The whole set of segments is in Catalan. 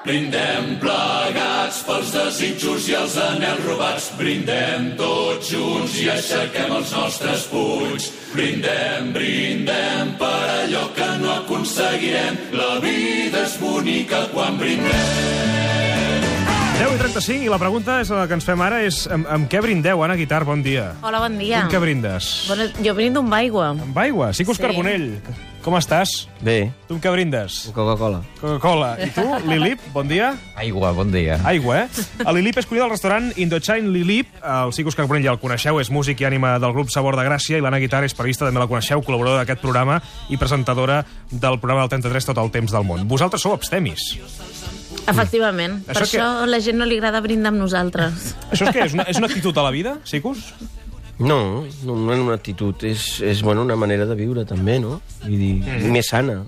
Brindem plegats pels desitjos i els anhels robats. Brindem tots junts i aixequem els nostres punys. Brindem, brindem per allò que no aconseguirem. La vida és bonica quan brindem. 10:35 i la pregunta és la que ens fem ara és amb què brindeu, Anna Guitart? Bon dia. Hola, bon dia. Amb què brindes? Bueno, jo brindo amb aigua. Amb aigua? Sicus Carbonell, com estàs? Bé. Tu amb què brindes? Coca-Cola. Coca-Cola. I tu, Lilip, bon dia? Aigua, bon dia. Aigua, eh? El Lilip és cuiner del restaurant Indochine Lilip. El Sicus Carbonell ja el coneixeu, és músic i ànima del grup Sabor de Gràcia, i l'Anna Guitart és periodista, també la coneixeu, col·laboradora d'aquest programa i presentadora del programa del 33 Tot el temps del món. Vosaltres sou abstemis. Efectivament. Per això a la gent no li agrada brindar amb nosaltres. Això és què? És una actitud a la vida, Sicus? No és una actitud, és bueno, una manera de viure també, no? Vull dir, més sana.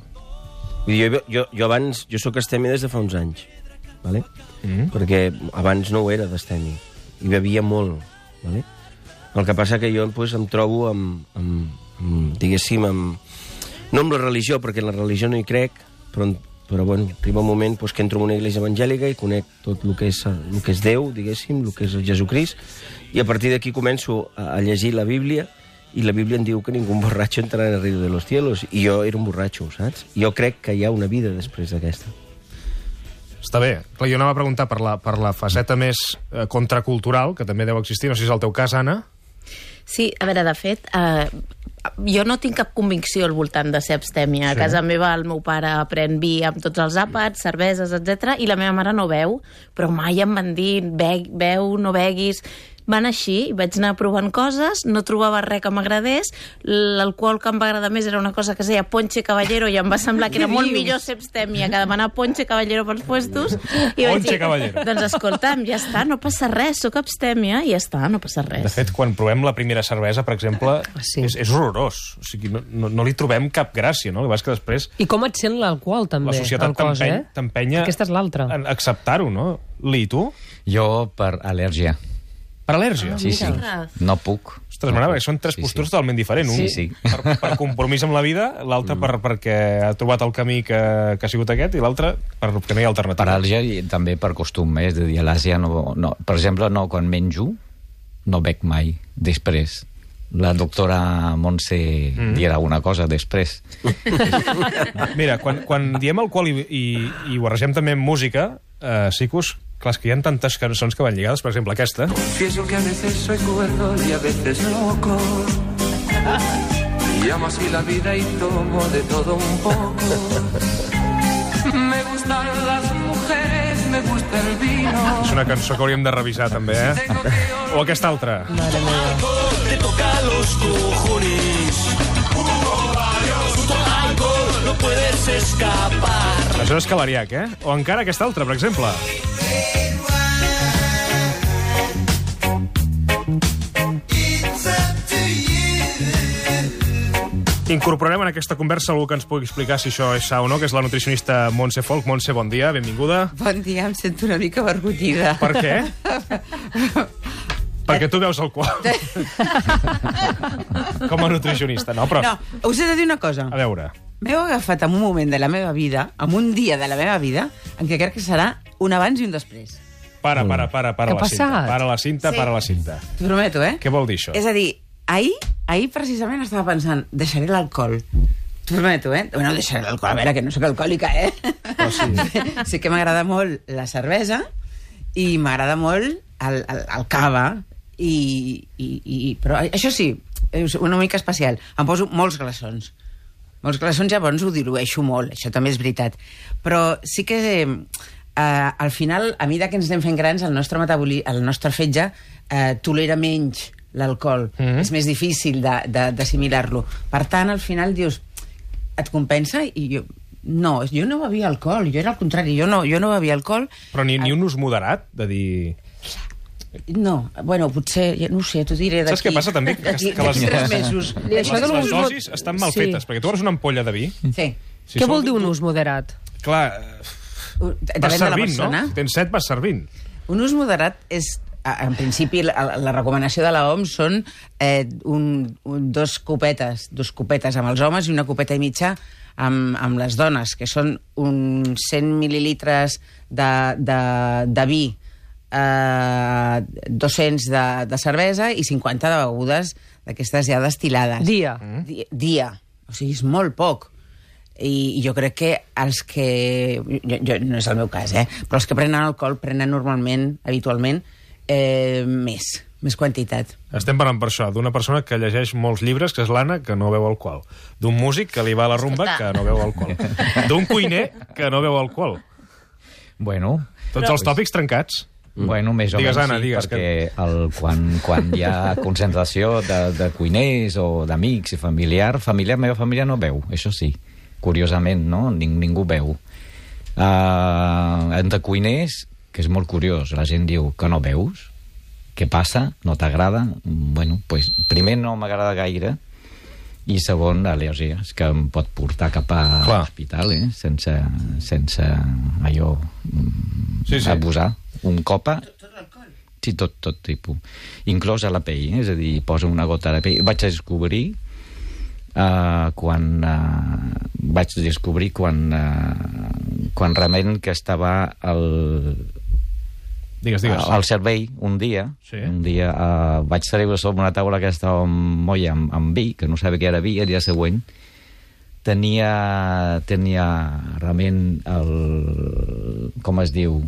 Vull dir, jo abans, jo sóc abstemi des de fa uns anys, ¿vale? Perquè abans no ho era d'abstemi, i bevia molt, ¿vale? El que passa que jo pues, em trobo diguéssim, no amb la religió, perquè en la religió no hi crec, però bueno, arriba un moment pues, que entro en una església evangèlica i conec tot el que és Déu, diguéssim, el que és el Jesucrist, i a partir d'aquí començo a llegir la Bíblia, i la Bíblia em diu que ningú borratxo entrarà en el reino de los cielos, i jo era un borratxo, saps? Jo crec que hi ha una vida després d'aquesta. Està bé. Clar, jo anava a preguntar per la faceta més contracultural, que també deu existir, no sé si és el teu cas, Anna. Sí, a veure, de fet, jo no tinc cap convicció al voltant de ser abstèmia. A casa meva el meu pare pren vi amb tots els àpats, cerveses, etc. I la meva mare no beu, però mai em van dir beu, no beguis. Van així, vaig anar provant coses, no trobava res que m'agradés, l'alcohol que em va agradar més era una cosa que es deia Ponche Caballero, i em va semblar que era molt millor ser abstèmia que demanar Ponche Caballero pels puestos. I vaig dir, doncs escolta'm, ja està, no passa res, sóc abstèmia i ja està, no passa res. De fet, quan provem la primera cervesa, per exemple, és horrorós. O sigui, no li trobem cap gràcia, no? El que passa que després... I com et sent l'alcohol, també? La societat t'empenya Aquesta és l'altra. a acceptar-ho, no? Li, tu? Jo per al·lèrgia. Per al·lèrgia? Sí. No puc. Ostres, m'agrada, perquè són tres postures totalment diferents. Un per compromís amb la vida, l'altre perquè ha trobat el camí que ha sigut aquest, i l'altre perquè no hi ha alternativa. Per al·lèrgia i també per costum, és de dir, a l'Àsia no... Per exemple, quan menjo, no bec mai, després. La doctora Montse dirà una cosa després. Mira, quan diem alcohol i ho barregem també amb música, Sicus, clar, és que hi ha tantes cançons que van lligades, per exemple aquesta. Confieso que a veces soy cuerdo y a veces loco. Y amo así la vida y tomo de todo un poco. Me gustan las mujeres, me gusta el vino. És una cançó que hauríem de revisar, també, eh? O aquesta altra. Mare meva. Te toca los cojones. No puedes escapar. Això és Calariac, eh? O encara aquesta altra, per exemple. Incorporarem en aquesta conversa algú que ens pugui explicar si això és sa o no, que és la nutricionista Montse Folk. Montse, bon dia, benvinguda. Bon dia, em sento una mica avergonyida. Per què? Perquè tu veus alcohol. Com a nutricionista, no? Però... No, us he de dir una cosa. A veure. M'heu agafat en un moment de la meva vida, en un dia de la meva vida, en què crec que serà un abans i un després. Para la cinta. Para la cinta, Sí. para la cinta. T'ho prometo, eh? Què vol dir això? És a dir, ahir precisament estava pensant, deixaré l'alcohol. T'ho prometo, eh? Bueno, deixaré l'alcohol, a veure, que no sóc alcohòlica, eh? Oh, sí. Sí que m'agrada molt la cervesa i m'agrada molt el cava, però això sí, és una mica especial. Em poso molts glaçons. Molts glaçons, llavors ho dilueixo molt, això també és veritat. Però sí que al final, a mesura que ens anem fent grans, el nostre fetge tolera menys l'alcohol. És més difícil d'assimilar-lo. Per tant, al final dius, et compensa? I jo no bevia alcohol, jo era al contrari, jo no bevia alcohol. Però ni un ús moderat, de dir... No, bueno, potser, no ho sé, t'ho diré d'aquí... Saps què passa també? D'aquí 3 mesos. Les dosis estan mal fetes, perquè tu obres una ampolla de vi... Sí. Què vol dir un ús moderat? Clar, vas Depèn de la servint, persona. no? Si tens set, vas servint. Un ús moderat és en principi, la recomanació de l'OMS són dos copetes amb els homes i una copeta i mitja amb les dones, que són uns 100 mil·lilitres de vi, 200 de cervesa i 50 de begudes d'aquestes ja destil·lades. Dia. Dia. O sigui, és molt poc. I jo crec que els que... no és el meu cas, però els que prenen alcohol prenen normalment, habitualment, més quantitat. Estem parlant per això, d'una persona que llegeix molts llibres, que és l'Anna, que no beu alcohol. D'un músic que li va a la rumba, que no beu alcohol. D'un cuiner, que no beu alcohol. Bueno... Tots els tòpics trencats. Bueno, més o menys, Anna, sí, perquè quan hi ha concentració de cuiners o d'amics i meva família no beu, això sí. Curiosament, no? Ningú beu. Entre cuiners, que és molt curiós, la gent diu que no beus, què passa? No t'agrada? Bueno, pues, primer no m'agrada gaire, i segon, al·lèrgies, que em pot portar cap a l'hospital, sense allò abusar. Un copa... Sí, tot tipus. Inclòs a la pell, és a dir, posa una gota de pell. Vaig descobrir quan realment que estava al cervell un dia vaig treure sobre una taula que estava molla amb vi, que no sabia què era vi, el dia següent tenia realment com es diu,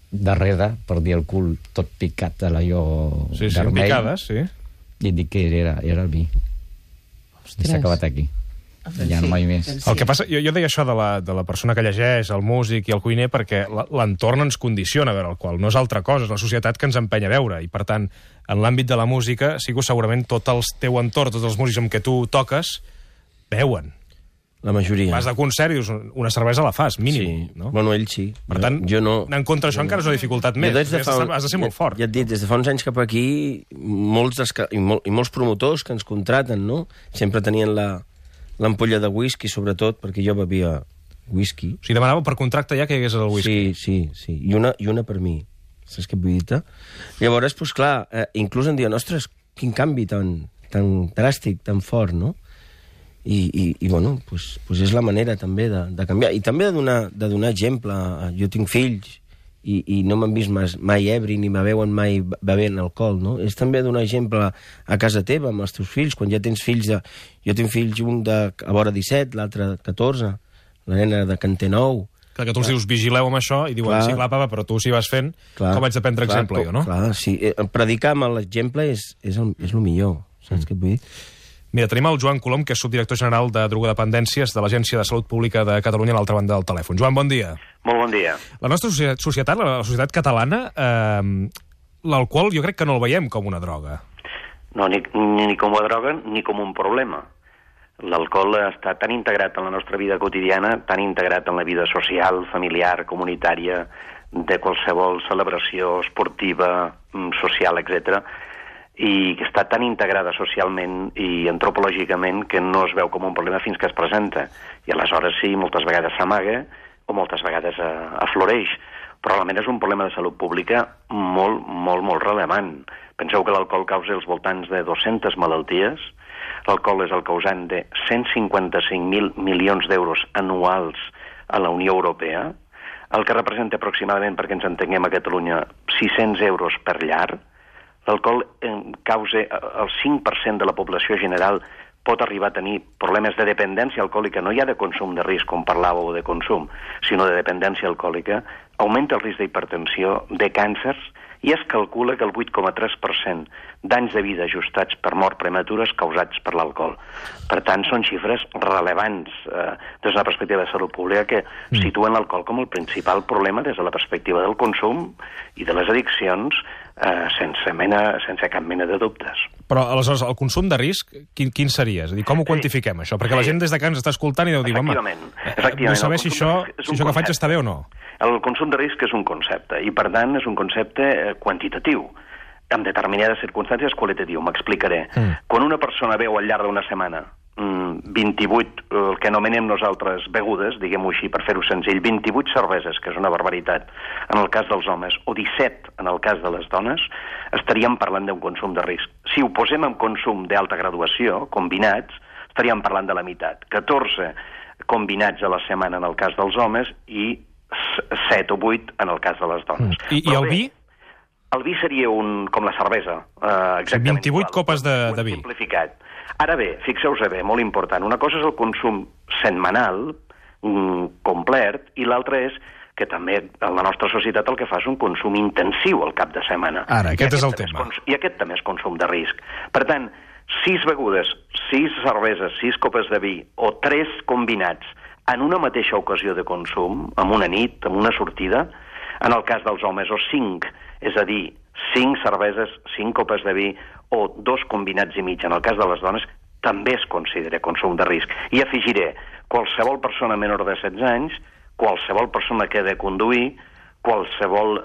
darrere, per dir el cul tot picat de l'allò vermell. Picades, sí. I dic que era el vi. I s'ha acabat aquí. Ja no mai més. El que passa, jo deia això de la persona que llegeix, el músic i el cuiner, perquè l'entorn ens condiciona a veure alcohol. No és altra cosa, és la societat que ens empenya a veure. I, per tant, en l'àmbit de la música, sí que segurament tot el teu entorn, tots els músics amb què tu toques, beuen. La majoria. Vas de concert i dius, una cervesa la fas, mínim. Sí. No? Bueno, ell sí. Per tant, anar en contra d'això encara és una dificultat més. Has de ser molt fort. Ja et dic, des de fa uns anys cap aquí, molts promotors que ens contraten, no? Sempre tenien l'ampolla de whisky, sobretot, perquè jo bevia whisky. O sigui, demanava per contracte ja que hi hagués el whisky. Sí. I una per mi. Saps què vull dir-te? Llavors, doncs clar, inclús em diuen, ostres, quin canvi tan dràstic, tan fort, no? I bueno, doncs és la manera també de canviar. I també de donar exemple. Jo tinc fills i no m'han vist mai ebri ni me veuen mai bevent alcohol, no? És també donar exemple a casa teva, amb els teus fills, quan ja tens fills Jo tinc fills, un a vora 17, l'altre 14, la nena de que en té 9. Que tu els dius, vigileu amb això, i diuen, sí, clar, papa, però tu si vas fent, com haig de prendre exemple jo, no? Clar, sí. Predicar amb l'exemple és el millor, saps què et vull dir? Mira, tenim el Joan Colom, que és subdirector general de drogodependències de l'Agència de Salut Pública de Catalunya, a l'altra banda del telèfon. Joan, bon dia. Molt bon dia. La nostra societat, la societat catalana, l'alcohol jo crec que no el veiem com una droga. No, ni com una droga ni com un problema. L'alcohol està tan integrat en la nostra vida quotidiana, tan integrat en la vida social, familiar, comunitària, de qualsevol celebració esportiva, social, etc., i que està tan integrada socialment i antropològicament que no es veu com un problema fins que es presenta. I aleshores sí, moltes vegades s'amaga o moltes vegades afloreix. Però realment és un problema de salut pública molt, molt, molt rellevant. Penseu que l'alcohol causa els voltants de 200 malalties. L'alcohol és el causant de 155.000 milions d'euros anuals a la Unió Europea, el que representa aproximadament, perquè ens entenguem a Catalunya, 600 euros per llar. L'alcohol causa el 5% de la població general pot arribar a tenir problemes de dependència alcohòlica, no ja de consum de risc, com parlàveu, de consum, sinó de dependència alcohòlica, augmenta el risc d'hipertensió, de càncers, i es calcula que el 8,3% d'anys de vida ajustats per mort prematures causats per l'alcohol. Per tant, són xifres rellevants des de la perspectiva de salut pública que situen l'alcohol com el principal problema des de la perspectiva del consum i de les addiccions sense cap mena de dubtes. Però, aleshores, el consum de risc, quin seria? És a dir, com ho quantifiquem, això? Perquè la gent des de que ens està escoltant i deu dir, home, vull saber si això que faig està bé o no. El consum de risc és un concepte, i per tant és un concepte quantitatiu. En determinades circumstàncies qualitatiu, m'explicaré. Quan una persona beu al llarg d'una setmana 28, el que anomenem nosaltres begudes, diguem-ho així per fer-ho senzill, 28 cerveses, que és una barbaritat en el cas dels homes, o 17 en el cas de les dones, estaríem parlant d'un consum de risc. Si ho posem en consum d'alta graduació, combinats, estaríem parlant de la meitat. 14 combinats a la setmana en el cas dels homes i 7 o 8 en el cas de les dones. I el vi? El vi seria com la cervesa. Exactament 28 igual. copes de vi. Simplificat. Ara bé, fixeu-vos bé, molt important. Una cosa és el consum setmanal, complet, i l'altra és que també en la nostra societat el que fa és un consum intensiu al cap de setmana. Ara, aquest és el tema. I aquest també és consum de risc. Per tant, 6 begudes, 6 cerveses, 6 copes de vi o 3 combinats en una mateixa ocasió de consum, en una nit, en una sortida, en el cas dels homes, o 5, és a dir, 5 cerveses, 5 copes de vi o 2 combinats i mig en el cas de les dones, també es considera consum de risc. I afegiré, qualsevol persona menor de 16 anys, qualsevol persona que ha de conduir, qualsevol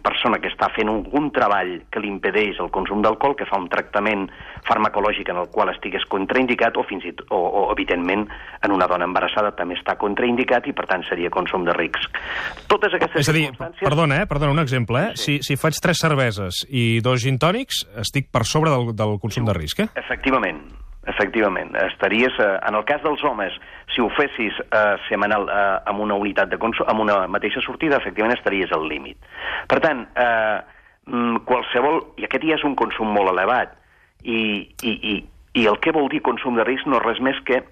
persona que està fent algun treball que li impedeix el consum d'alcohol, que fa un tractament farmacològic en el qual estigués contraindicat, o evidentment, en una dona embarassada també està contraindicat i, per tant, seria consum de risc. Totes aquestes circumstàncies... Perdona, un exemple, Si faig 3 cerveses i 2 gin tònics, estic per sobre del consum de risc, Efectivament. Estaries, en el cas dels homes, si ho fessis setmanal amb una unitat de consum, amb una mateixa sortida, efectivament estaries al límit. Per tant, qualsevol... I aquest ja és un consum molt elevat. I el que vol dir consum de risc no és res més que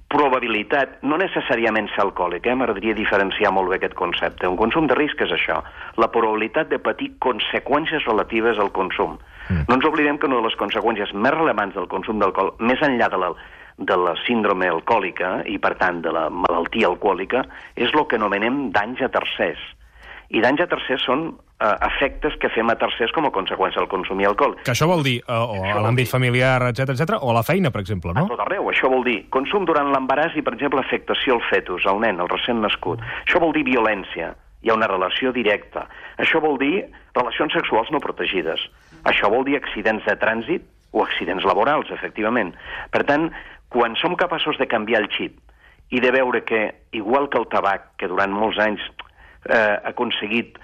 probabilitat, no necessàriament ser alcohòlic, m'agradaria diferenciar molt bé aquest concepte. Un consum de risc és això, la probabilitat de patir conseqüències relatives al consum. No ens oblidem que una de les conseqüències més rellevants del consum d'alcohol, més enllà de la síndrome alcohòlica i, per tant, de la malaltia alcohòlica, és el que anomenem danys a tercers. I danys a tercers són efectes que fem a tercers com a conseqüència del consumir alcohol. Que això vol dir o a l'àmbit familiar, etc, o a la feina, per exemple, no? A tot arreu. Això vol dir consum durant l'embaràs i, per exemple, afectació al fetus, al nen, al recent nascut. Això vol dir violència. Hi ha una relació directa. Això vol dir relacions sexuals no protegides. Això vol dir accidents de trànsit o accidents laborals, efectivament. Per tant, quan som capaços de canviar el xip i de veure que, igual que el tabac, que durant molts anys ha aconseguit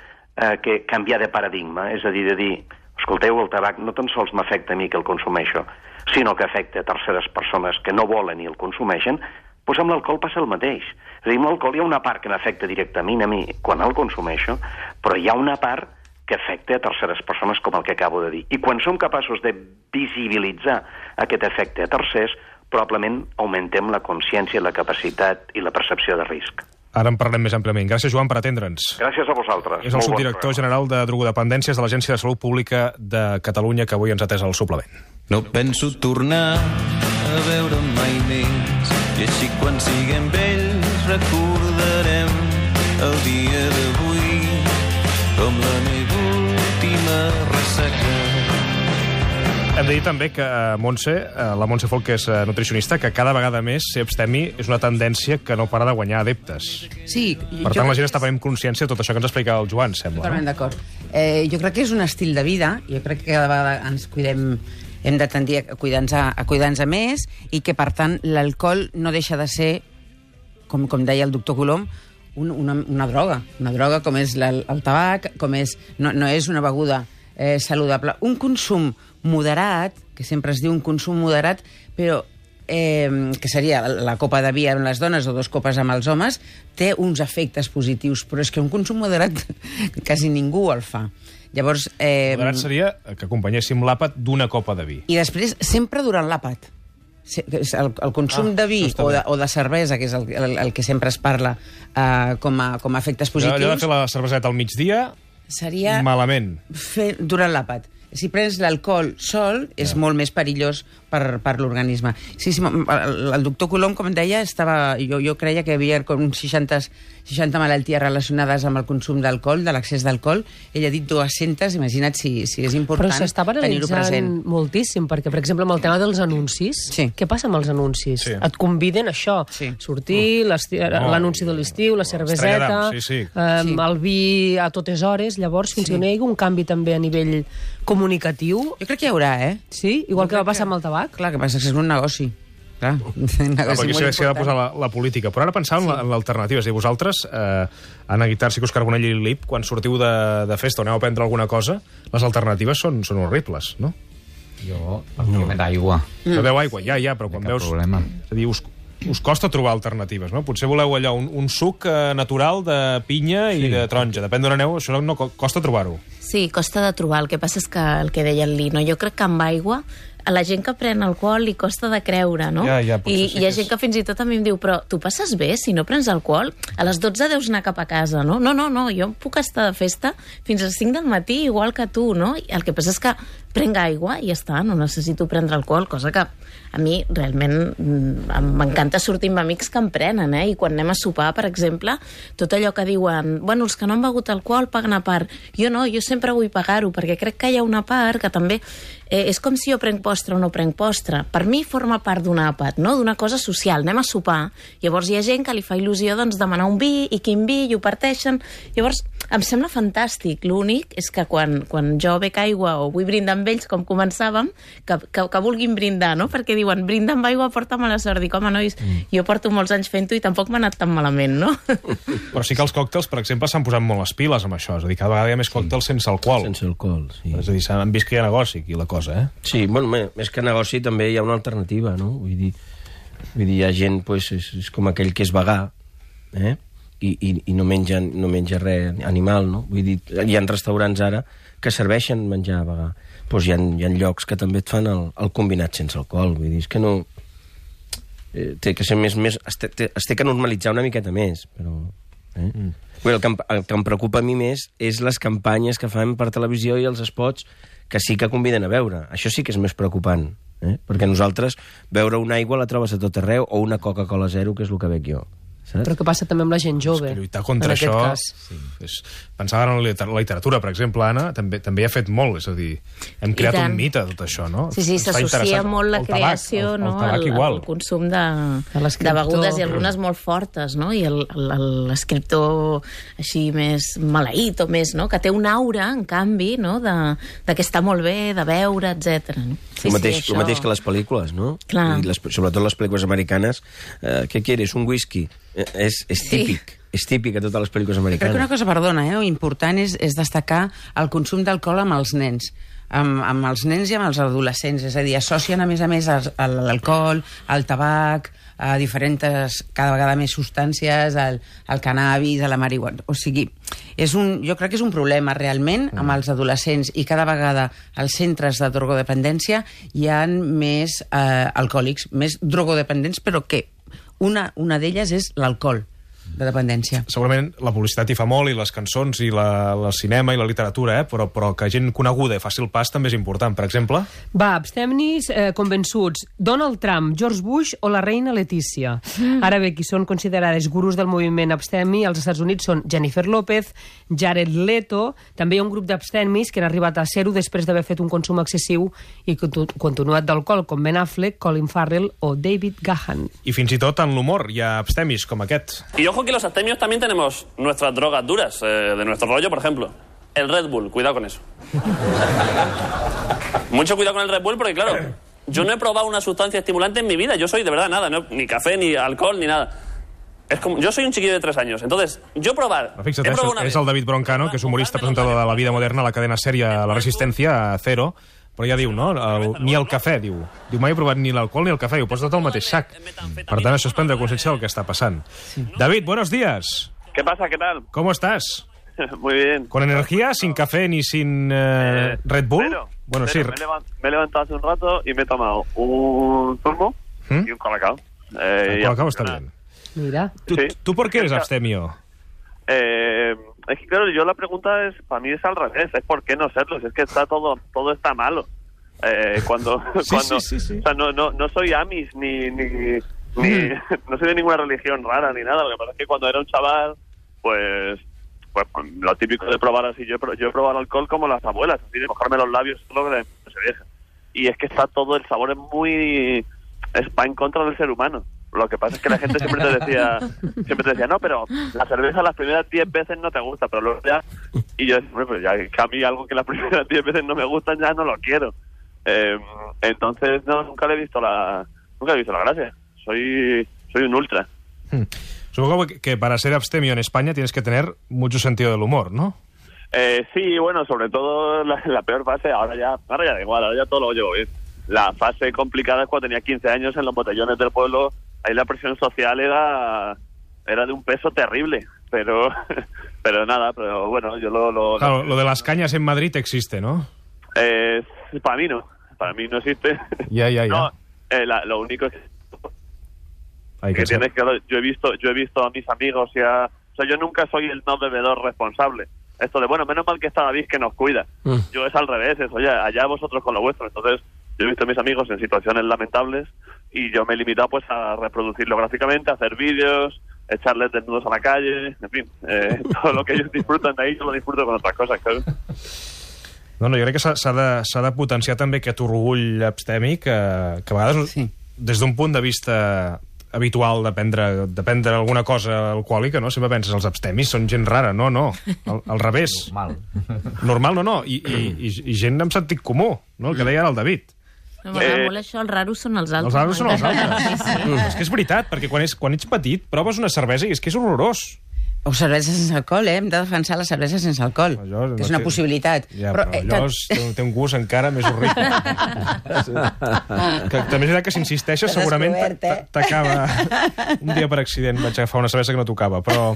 canviar de paradigma, és a dir, de dir, escolteu, el tabac no tan sols m'afecta a mi que el consumeixo, sinó que afecta a terceres persones que no volen i el consumeixen, doncs amb l'alcohol passa el mateix. És a dir, amb l'alcohol hi ha una part que m'afecta directament a mi quan el consumeixo, però hi ha una part que afecta a terceres persones, com el que acabo de dir. I quan som capaços de visibilitzar aquest efecte a tercers, probablement augmentem la consciència, la capacitat i la percepció de risc. Ara en parlem més àmpliament. Gràcies, Joan, per atendre'ns. Gràcies a vosaltres. És el subdirector general de drogodependències de l'Agència de Salut Pública de Catalunya, que avui ens ha atès al suplement. No penso tornar a veure mai més, i així quan siguem vells recordarem el dia d'avui com la meva última ressaca. Hem de dir també que la Montse Folk, que és nutricionista, que cada vegada més ser abstemi és una tendència que no para de guanyar adeptes. Sí. Per tant, la gent està prenent consciència de tot això que ens explicava el Joan, sembla. Totalment d'acord. Jo crec que és un estil de vida, jo crec que cada vegada ens cuidem, hem de tendir a cuidar-nos més, i que, per tant, l'alcohol no deixa de ser, com deia el doctor Colom, una droga com és el tabac, no és una beguda saludable. Un consum moderat, que sempre es diu un consum moderat, però que seria la copa de vi amb les dones o 2 copes amb els homes, té uns efectes positius, però és que un consum moderat quasi ningú el fa. Llavors, moderat seria que acompanyéssim l'àpat d'una copa de vi. I després, sempre durant l'àpat. El consum de vi o de cervesa, que és el que sempre es parla com a efectes positius... Allò de fer la cerveseta al migdia, seria malament. Fer durant l'àpat. Si prens l'alcohol sol, és molt més perillós per l'organisme. Sí, el doctor Colom, com deia, jo creia que hi havia com 60 malalties relacionades amb el consum d'alcohol, de l'excés d'alcohol. Ell ha dit 200, imagina't si és important tenir-ho present. Però s'està banalitzant moltíssim, perquè, per exemple, amb el tema dels anuncis, què passa amb els anuncis? Et conviden a això, sortir, l'anunci de l'estiu, la cerveseta, el vi a totes hores, llavors, fins que no hi hagi un canvi també a nivell comunicatiu... Jo crec que hi haurà, Sí? Igual que va passar amb el tabac? Clar, que passa que és un negoci. clar. Perquè s'hi ha de posar la política. Però ara pensava en l'alternativa. És a dir, vosaltres, Anna Guitar, Sicus Carbonell i Lip, quan sortiu de festa o aneu a prendre alguna cosa, les alternatives són horribles, no? Jo, pràcticament aigua. No beu aigua, ja, però quan veus... Problema. És a dir, us costa trobar alternatives, no? Potser voleu allò, un suc natural de pinya i de taronja. Depèn d'on aneu, això no costa trobar-ho. Sí, costa de trobar. El que passa és que el que deia el Lino, jo crec que amb aigua a la gent que pren alcohol li costa de creure, no? Ja, I hi ha gent que fins i tot a mi em diu, però tu passes bé si no prens alcohol? A les 12 deus anar cap a casa, no? No, jo puc estar de festa fins a les 5 del matí, igual que tu, no? El que passa és que prenc aigua i ja està, no necessito prendre alcohol, cosa que a mi realment m'encanta sortir amb amics que en prenen, i quan anem a sopar, per exemple, tot allò que diuen, bueno, els que no han begut alcohol paguen a part. Jo no, jo sempre vull pagar-ho, perquè crec que hi ha una part que també és com si jo prenc postre o no prenc postre. Per mi forma part d'un àpat, no? D'una cosa social. Anem a sopar. Llavors hi ha gent que li fa il·lusió demanar un vi, i quin vi, i ho parteixen. Llavors, em sembla fantàstic. L'únic és que quan jo bec aigua o vull brindar amb ells, com començàvem, que vulguin brindar, no? Perquè diuen, brinda amb aigua, porta mala sort. Dic, home, nois, jo porto molts anys fent-ho i tampoc m'ha anat tan malament, no? Però sí que els còctels, per exemple, s'han posat molt les piles amb això. És a dir, cada vegada hi ha més còctels sense alcohol. Sense alcohol, sí. És a dir, s'han vist que hi ha negoci aquí, la cosa, Sí, bueno, més que negoci també hi ha una alternativa, no? Vull dir, hi ha gent, pues, és com aquell que és vegà, i no menja res animal, no? Vull dir, hi ha restaurants ara que serveixen menjar vegà. Pues hi ha llocs que també et fan el combinat sense alcohol. Vull dir, és que no... té que ser més... Es té que normalitzar una miqueta més, però... El que em preocupa a mi més és les campanyes que fan per televisió i els spots que sí que conviden a beure. Això sí que és més preocupant, perquè nosaltres beure una aigua la trobes a tot arreu, o una Coca-Cola zero, que és el que bec jo. Saps? Però què passa també amb la gent jove? És que lluitar contra això... Pensava en la literatura, per exemple, Anna, també ha fet molt, és a dir, hem creat un mite de tot això, no? Sí, s'associa molt la creació al consum de begudes i algunes molt fortes, no? I l'escriptor així més maleït o més, no? Que té una aura, en canvi, no? De que està molt bé, de beure, etc. El mateix que les pel·lícules, no? Sobretot les pel·lícules americanes. Què quieres? Un whisky? És típic. És típic a totes les pel·lícules americanes. Crec que una cosa, perdona, important és destacar el consum d'alcohol amb els nens. Amb els nens i amb els adolescents. És a dir, associen a més l'alcohol, el tabac, a diferents, cada vegada més substàncies, al cannabis, a la marihuana. O sigui, jo crec que és un problema realment amb els adolescents, i cada vegada als centres de drogodependència hi ha més alcohòlics, més drogodependents, però que una d'elles és l'alcohol de dependència. Segurament la publicitat hi fa molt, i les cançons, i el cinema, i la literatura, però que gent coneguda faci el pas també és important. Per exemple... Va, abstemnis convençuts. Donald Trump, George Bush o la reina Letícia. Ara bé, qui són considerades gurus del moviment abstemi als Estats Units són Jennifer López, Jared Leto. També hi ha un grup d'abstemis que han arribat a ser-ho després d'haver fet un consum excessiu i continuat d'alcohol, com Ben Affleck, Colin Farrell o David Gahan. I fins i tot en l'humor hi ha abstemis com aquest. I ojo que los abstemios también tenemos nuestras drogas duras, de nuestro rollo, por ejemplo. El Red Bull, cuidado con eso. Mucho cuidado con el Red Bull porque, claro, yo no he probado una sustancia estimulante en mi vida. Yo soy, de verdad, nada, ni café, ni alcohol, ni nada. Es como, yo soy un chiquillo de 3 años, entonces, yo probar... Fixa't, és el David Broncano, que és humorista presentador de La Vida Moderna, a la cadena sèrie La Resistencia, a Cero, però ja diu, no? Ni el cafè, diu. Diu, mai he provat ni l'alcohol ni el cafè, ho posa tot al mateix sac. Per tant, això és prendre consciència del que está pasando. Sí. David, buenos días. ¿Qué pasa? ¿Qué tal? ¿Cómo estás? Muy bien. ¿Con energía, sin café ni sin Red Bull? Bueno, sí. Me he levantado hace un rato y me he tomado un zumo y un colacao. El colacao está bien. Mira. ¿Tú por qué eres abstemio? Es que claro, yo la pregunta es, para mí es al revés, es por qué no serlo, es que está todo está malo. Cuando sí. O sea, no soy Amish ni no soy de ninguna religión rara ni nada. Lo que pasa es que cuando era un chaval, pues lo típico de probar así, yo he probado alcohol como las abuelas, así de mojarme los labios, lo que se vieja. Y es que está todo, el sabor es muy, va en contra del ser humano. Lo que pasa es que la gente siempre te decía, no, pero la cerveza las primeras 10 veces no te gusta, pero luego ya... Y yo decía, pero ya que a mí algo que las primeras 10 veces no me gusta, ya no lo quiero. Entonces, no, nunca le he visto la nunca he visto la gracia. Soy un ultra. Supongo que para ser abstemio en España tienes que tener mucho sentido del humor, ¿no? Sí, bueno, sobre todo la peor fase, ahora ya da igual, ahora ya todo lo llevo bien. La fase complicada es cuando tenía 15 años en los botellones del pueblo, ahí la presión social era de un peso terrible, pero nada, pero bueno, yo Claro, lo de las cañas en Madrid existe, ¿no? Para mí no existe. Ya. No, lo único es que tienes que... Yo he visto a mis amigos o sea, yo nunca soy el no bebedor responsable. Esto de, bueno, menos mal que está David que nos cuida. Yo es al revés, oye, allá vosotros con lo vuestro. Entonces, yo he visto a mis amigos en situaciones lamentables y yo me he limitado pues a reproducirlo gráficamente, a hacer vídeos, echarles desnudos a la calle, en fin, todo lo que ellos disfrutan de ahí, yo lo disfruto con otras cosas, claro. No, jo crec que s'ha de potenciar també aquest orgull abstèmic que a vegades, des d'un punt de vista habitual de prendre alguna cosa alcohòlica, no? Sempre penses, els abstemis són gent rara. No, al revés. Normal, no. I gent amb sentit comú, no? El que deia ara el David. M'agrada molt això, els raros són els altres. Els raros són els altres. És que és veritat, perquè quan ets petit proves una cervesa i és que és horrorós. O cervesa sense alcohol, Hem de defensar la cervesa sense alcohol. Que és una possibilitat. Ja, però allò té un gust encara més horrible. També és veritat que si insisteixes segurament t'acaba... Un dia per accident vaig agafar una cervesa que no tocava, però...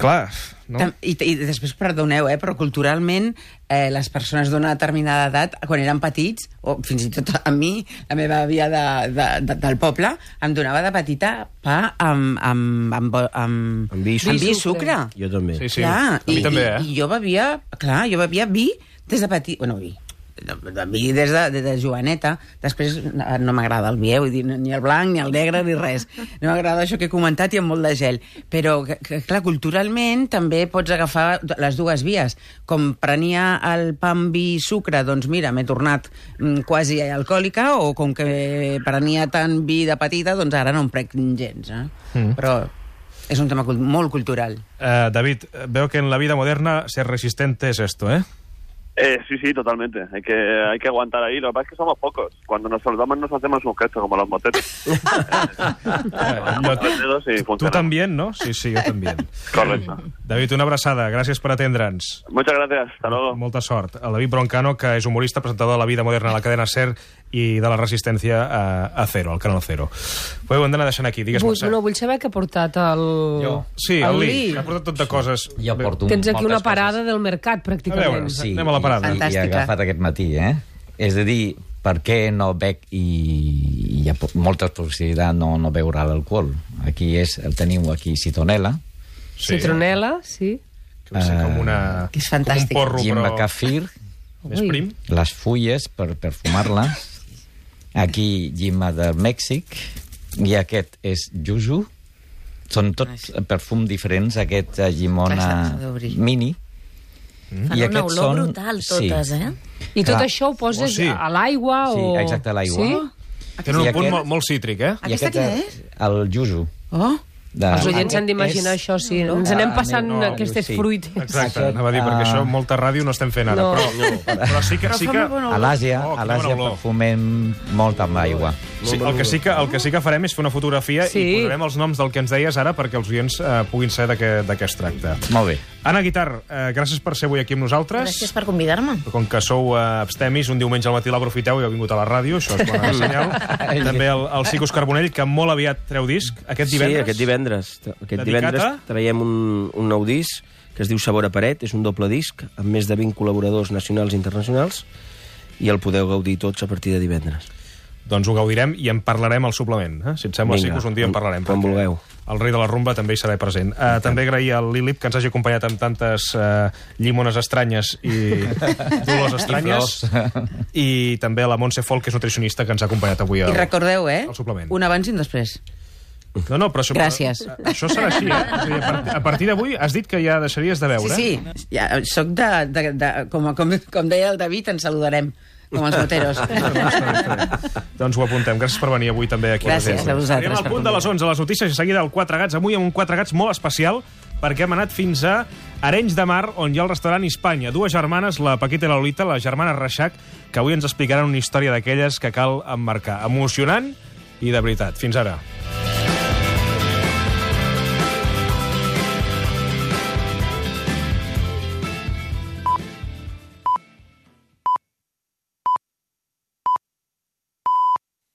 Clar, no? I després, perdoneu, però culturalment les persones d'una determinada edat, quan eren petits, o fins i tot a mi, la meva àvia del poble, em donava de petita pa amb vi i sucre. Jo també. Sí. A mi també, I jo bevia vi des de petit... Bueno, vi des de joveneta. Després no m'agrada el vi, vull dir, ni el blanc, ni el negre, ni res. No m'agrada això que he comentat i amb molt de gel. Però, clar, culturalment també pots agafar les dues vies. Com prenia el pa amb vi i sucre, doncs mira, m'he tornat quasi alcohòlica, o com que prenia tant vi de petita, doncs ara no em prec gens. Però és un tema molt cultural. David, veo que en la vida moderna ser resistente es esto, ¿eh? Sí, totalmente. Hay que aguantar ahí. Lo que pasa es que somos pocos. Cuando nos saludamos nos hacemos un gesto, como los motetes. Tú también, ¿no? Sí, yo también. Correcto. David, una abraçada. Gràcies per atendre'ns. Muchas gracias. Hasta luego. Molta sort. El David Broncano, que és humorista, presentador de La vida moderna a la cadena SER i de la Resistència a Cero, al Canal Cero. Ho hem d'anar deixant aquí. Digues, Mercè. Vull saber què ha portat el... Sí, el Lee. Ha portat tot de coses. Tens aquí una parada del mercat, pràcticament. A veure, anem a la parada. I he agafat aquest matí, És a dir, per què no bec i hi ha molta possibilitat no beure l'alcohol? Aquí el teniu aquí, citronela. Citronela, sí. Que és fantàstic. Com un porro, Jimba kefir. Més prim. Les fulles per perfumar-les. Aquí, llima de Mèxic. I aquest és yuzu. Són tots perfums diferents. Aquest llimona mini. Fan una olor brutal, totes, I tot això ho poses a l'aigua? Sí, exacte, a l'aigua. Tenen un punt molt cítric, Aquesta què és? El yuzu. Els oients han d'imaginar això, sí. Ens anem passant aquestes fruites. Exacte, anava a dir, perquè això molta ràdio no estem fent ara. Però sí que... A l'Àsia perfumem molt amb l'aigua. El que sí que farem és fer una fotografia i posarem els noms del que ens deies ara perquè els oients puguin saber de què es tracta. Molt bé. Anna Guitar, gràcies per ser avui aquí amb nosaltres. Gràcies per convidar-me. Com que sou abstemis, un diumenge al matí l'aprofiteu i heu vingut a la ràdio, això és bona senyal. També el Cicus Carbonell, que molt aviat treu disc, aquest divendres. Sí, aquest divendres traiem un nou disc que es diu Sabor a Paret, és un doble disc amb més de 20 col·laboradors nacionals i internacionals i el podeu gaudir tots a partir de divendres. Doncs ho gaudirem i en parlarem al suplement. Si et sembla, Cicus, un dia en parlarem. Quan vulgueu. El rei de la rumba també hi serà present. També agrair al Lilip que ens hagi acompanyat amb tantes llimones estranyes i dolors estranyes. I també a la Montse Folk, que és nutricionista, que ens ha acompanyat avui al suplement. I recordeu, un abans i un després. No, però gràcies. Això serà així, A partir d'avui has dit que ja deixaries de beure. Sí. Soc com deia el David, ens saludarem. Com els moteros. Doncs ho apuntem. Gràcies per venir avui també aquí. Gràcies a vosaltres. Anem al punt de les 11, les notícies, i seguida el 4 Gats. Avui amb un 4 Gats molt especial, perquè hem anat fins a Arenys de Mar, on hi ha el restaurant Hispània. Dues germanes, la Paquita i la Lolita, la germana Reixac, que avui ens explicaran una història d'aquelles que cal emmarcar. Emocionant i de veritat. Fins ara.